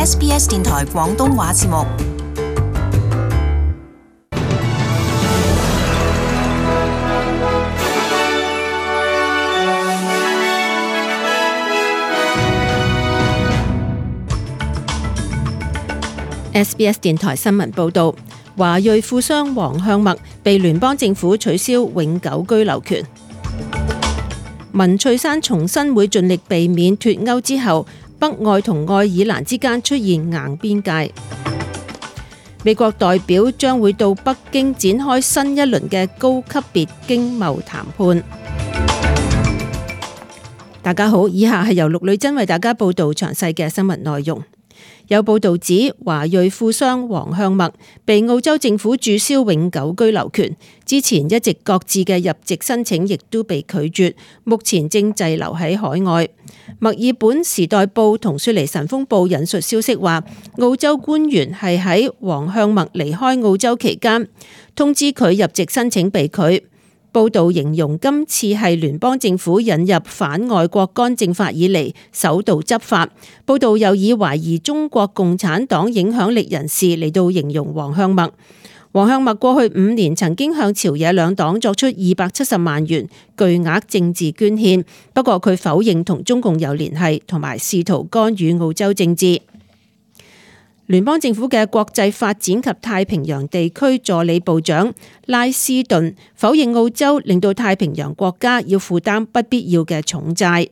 SBS 電台廣東話節目。SBS 電台新聞報導，華裔富商黃向墨被聯邦政府取消永久居留權。文翠珊重申會盡力避免脫歐之後，北愛同愛爾蘭之間出現硬邊界。美國代表將會到北京展開新一輪嘅高級別經貿談判。大家好，以下係由陸女珍為大家報導詳細嘅新聞內容。有報道指，華裔富商黃向墨被澳洲政府註銷永久居留權，之前一直擱置嘅入籍申請亦都被拒絕，目前正滯留喺海外。墨爾本時代報同雪梨晨鋒報引述消息話，澳洲官員係喺黃向墨離開澳洲期間通知佢入籍申請被拒。報道形容今次係聯邦政府引入反外國干政法以嚟首度執法。報道又以懷疑中國共產黨影響力人士嚟到形容黃向墨。黃向墨過去5年曾經向朝野兩黨作出270萬元巨額政治捐獻，不過佢否認同中共有聯繫，同埋試圖干預澳洲政治。聯邦政府嘅國際發展及太平洋地區助理部長拉斯頓否認澳洲令到太平洋國家要負擔不必要嘅重債。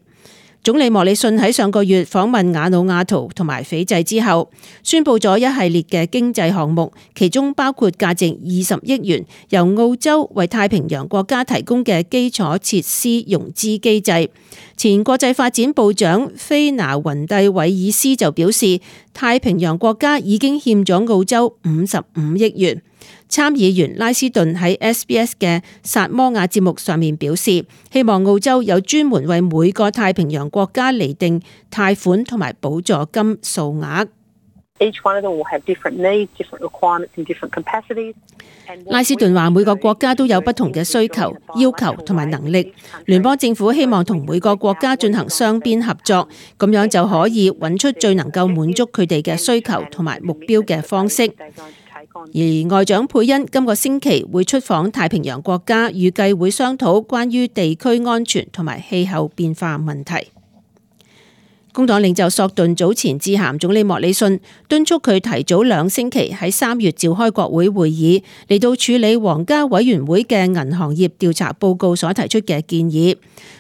總理莫里遜喺上個月訪問瓦努阿圖同埋斐濟之後，宣布咗一系列嘅經濟項目，其中包括價值20億元由澳洲為太平洋國家提供嘅基礎設施融資機制。前國際發展部長菲拿雲蒂韋爾斯就表示，太平洋國家已經欠咗澳洲55億元。參議員拉斯頓喺 SBS 嘅薩摩亞節目上面表示，希望澳洲有專門為每個太平洋國家釐定貸款同埋補助金數額。拉斯頓話，每個國家都有不同嘅需求、要求同埋能力。聯邦政府希望同每個國家進行雙邊合作，咁樣就可以揾出最能夠滿足佢哋嘅需求同埋目標嘅方式。而外長佩恩今個星期會出訪太平洋國家，預計會商討關於地區安全同埋氣候變化問題。工黨領袖索頓早前致函總理莫里遜，敦促佢提早2星期喺3月召開國會會議，嚟到處理皇家委員會嘅銀行業調查報告所提出嘅建議。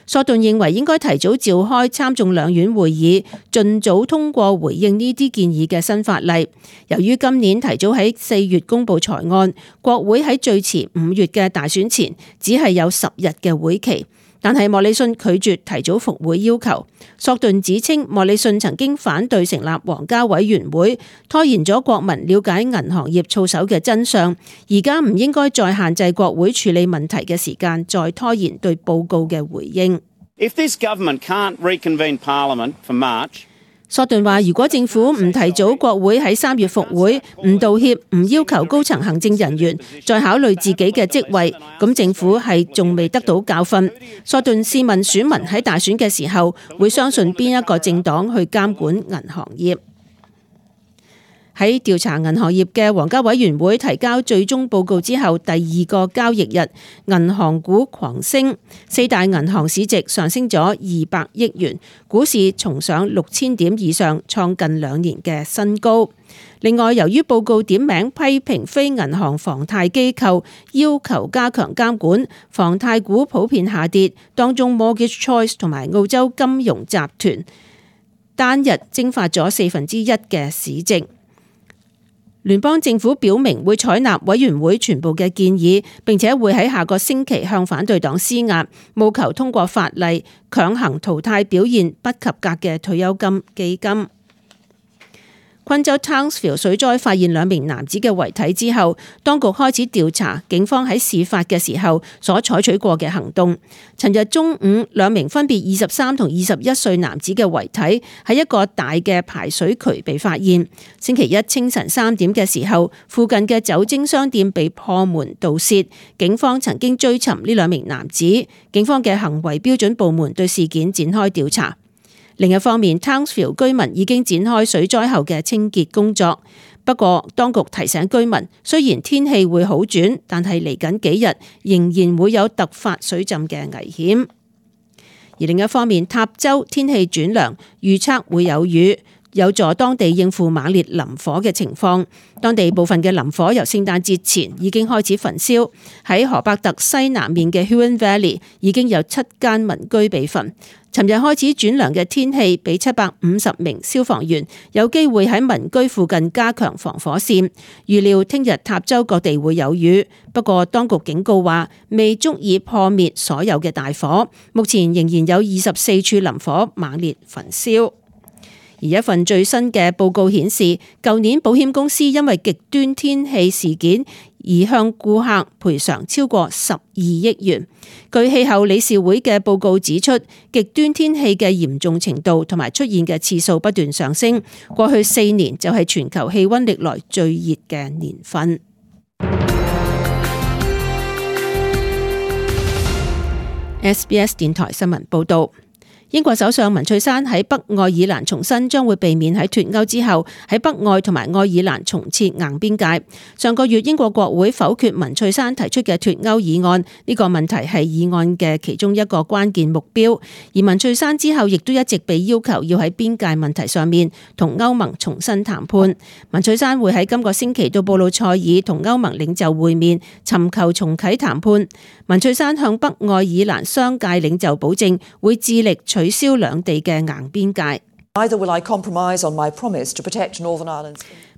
索頓認為應該提早召開參眾兩院會議，盡早通過回應呢啲建議嘅新法例。由於今年提早喺4月公布財案，國會喺最遲5月嘅大選前只係有10日嘅會期。但係莫里遜拒絕提早復會要求。索頓指稱莫里遜曾經反對成立皇家委員會，拖延咗國民了解銀行業操守嘅真相。而家唔應該再限制國會處理問題嘅時間，再拖延對報告嘅回應。If this government can't reconvene Parliament for March, 索頓話，如果政府唔提早國會喺3月復會，唔道歉，唔要求高層行政人員再考慮自己嘅職位，咁政府係仲未得到教訓。索頓試問選民喺大選嘅時候會相信邊一個政黨去監管銀行業？喺調查銀行業嘅皇家委員會提交最終報告之後，第2個交易日，銀行股狂升，4大銀行市值上升咗200億元，股市重上6000點以上，創近2年嘅新高。另外，由於報告點名批評非銀行房貸機構要求加強監管，房貸股普遍下跌，當中 Mortgage Choice 同埋澳洲金融集團單日蒸發咗1/4嘅市值。聯邦政府表明會採納委員會全部嘅建議，並且會喺下個星期向反對黨施壓，務求通過法例強行淘汰表現不及格嘅退休金基金。昆州 Townsville 水災發現2名男子嘅遺體之後，當局開始調查警方喺事發嘅時候所採取過嘅行動。尋日中午，2名分別23同21歲男子嘅遺體喺一個大嘅排水渠被發現。星期一清晨3點嘅時候，附近嘅酒精商店被破門盜竊，警方曾經追尋呢2名男子。警方嘅行為標準部門對事件展開調查。另一方面 ，Townsville 居民已經展開水災後嘅清潔工作。不過，當局提醒居民，雖然天氣會好轉，但係嚟緊幾日仍然會有突發水浸嘅危險。而另一方面，塔州天氣轉涼，預測會有雨，有助當地應付猛烈林火嘅情況。當地部分嘅林火由聖誕節前已經開始焚燒，喺河伯特西南面嘅 Huron Valley 已經有7間民居被焚。尋日開始轉涼嘅天氣，俾750名消防員有機會喺民居附近加強防火線。預料聽日塔州各地會有雨，不過當局警告話未足以破滅所有嘅大火，目前仍然有24處林火猛烈焚燒。而一份最新嘅報告顯示，舊年保險公司因為極端天氣事件而向顧客賠償超過12億元。據氣候理事會嘅報告指出，極端天氣嘅嚴重程度同埋出現嘅次數不斷上升，過去4年就係全球氣溫歷來最熱嘅年份。SBS 電台新聞報道。英國首相文翠珊喺北愛爾蘭重申將會避免喺脫歐之後喺北愛同埋愛爾蘭重設硬邊界。上個月英國國會否決文翠珊提出嘅脫歐議案，呢個問題係議案嘅其中一個關鍵目標。而文翠珊之後亦都一直被要求要喺邊界問題上面同歐盟重新談判。文翠珊會喺今個星期到布魯塞爾同歐盟領袖會面，尋求重啟談判。文翠珊向北愛爾蘭商界領袖保證會致力取消兩地嘅硬邊界。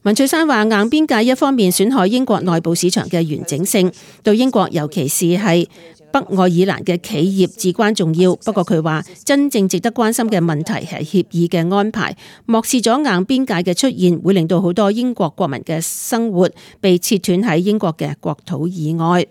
文翠珊話：硬邊界一方面損害英國內部市場嘅完整性，對英國尤其是係北愛爾蘭嘅企業至關重要。不過佢話，真正值得關心嘅問題係協議嘅安排，漠視咗硬邊界嘅出現，會令到好多英國國民嘅生活被切斷喺英國嘅國土以外。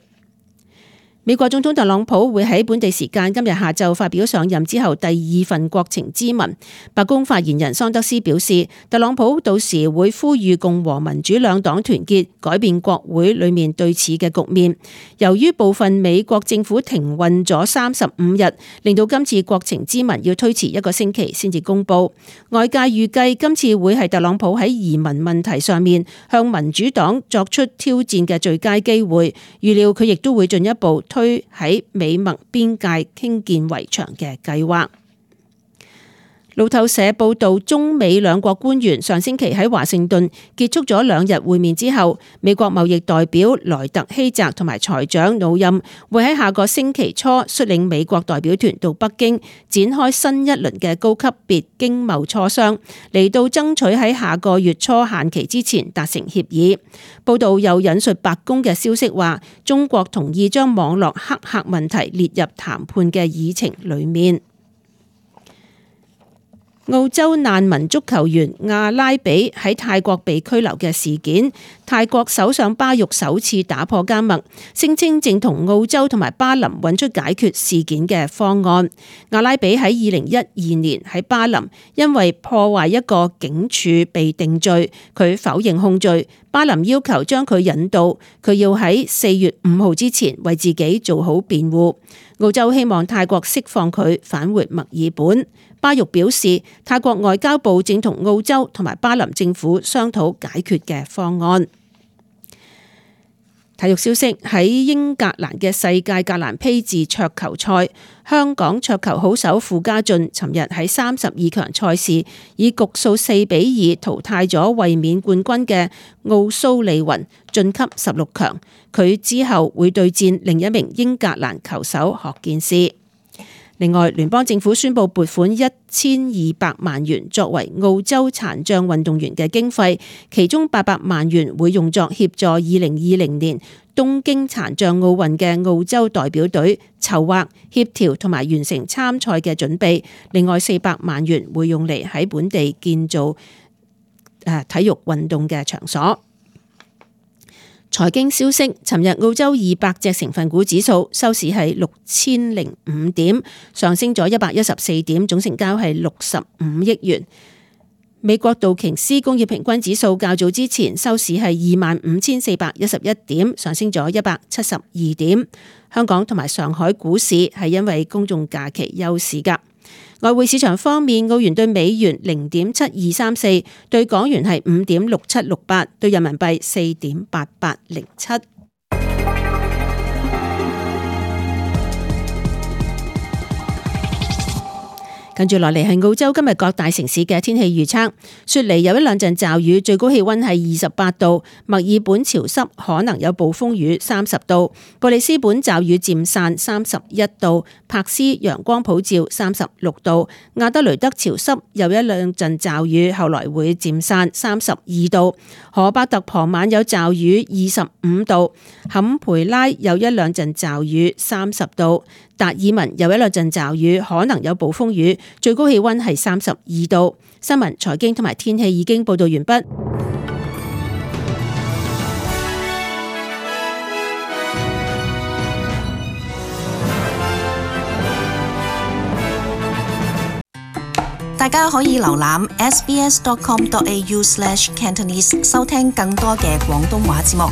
美國總統特朗普會喺本地時間今日下晝發表上任之後第2份國情咨文。白宮發言人桑德斯表示，特朗普到時會呼籲共和民主兩黨團結，改變國會裏面對峙嘅局面。由於部分美國政府停運咗35日，令到今次國情咨文要推遲1個星期先至公布。外界預計今次會係特朗普喺移民問題上面向民主黨作出挑戰嘅最佳機會。預料佢亦都會進一步推喺美墨邊界興建圍牆嘅計劃。路透社報道，中美兩國官員上星期喺華盛頓結束咗2日會面之後，美國貿易代表萊特希澤同埋財長努欽會喺下個星期初率領美國代表團到北京展開新一輪嘅高級別經貿磋商，嚟到爭取喺下個月初限期之前達成協議。報道又引述白宮嘅消息話，中國同意將網絡黑客問題列入談判嘅議程裡面。澳洲難民足球員阿拉比喺泰國被拘留嘅事件，泰國首相巴育首次打破緘默，聲稱正同澳洲同埋巴林揾出解決事件嘅方案。阿拉比喺2012年喺巴林因為破壞一個警署被定罪，佢否認控罪。巴林要求將佢引渡，佢要喺4月5號之前為自己做好辯護。澳洲希望泰國釋放佢返回墨爾本。巴育表示，泰國外交部正同澳洲同埋巴林政府商討解決嘅方案。體育消息，喺英格蘭嘅世界格蘭披治桌球賽，香港桌球好手傅家俊尋日喺32強賽事以局數4-2淘汰咗衛冕冠軍嘅奧蘇利雲，晉級16強。佢之後會對戰另一名英格蘭球手學健士。另外，聯邦政府宣布撥款1200萬元作為澳洲殘障運動員嘅經費，其中800萬元會用作協助2020年東京殘障奧運嘅澳洲代表隊籌劃、協調同埋完成參賽嘅準備。另外400萬元會用嚟喺本地建造體育運動嘅場所。財經消息，尋日澳洲200隻成分股指數收市係6005點，上升咗114點，總成交係65億元。美國道瓊斯工業平均指數較早之前收市係25,411點，上升咗172點。香港同埋上海股市係因為公眾假期休市㗎。外匯市場方面，澳元對美元0.7234，對港元係5.6768，對人民幣4.8807。跟住落嚟係澳洲今日各大城市嘅天氣預測。雪梨有一兩陣驟雨，最高氣溫係28度；墨爾本潮濕，可能有暴風雨30度；布里斯本驟雨漸散31度；柏斯陽光普照36度；亞德雷德潮濕，有一兩陣驟雨，後來會漸散32度；荷伯特傍晚有驟雨25度；坎培拉有一兩陣驟雨30度；達爾文有一兩陣驟雨，可能有暴風雨，最高氣溫係32度。新聞、財經同埋天氣已經報道完畢。大家可以瀏覽 sbs.com.au/Cantonese 收聽更多嘅廣東話節目。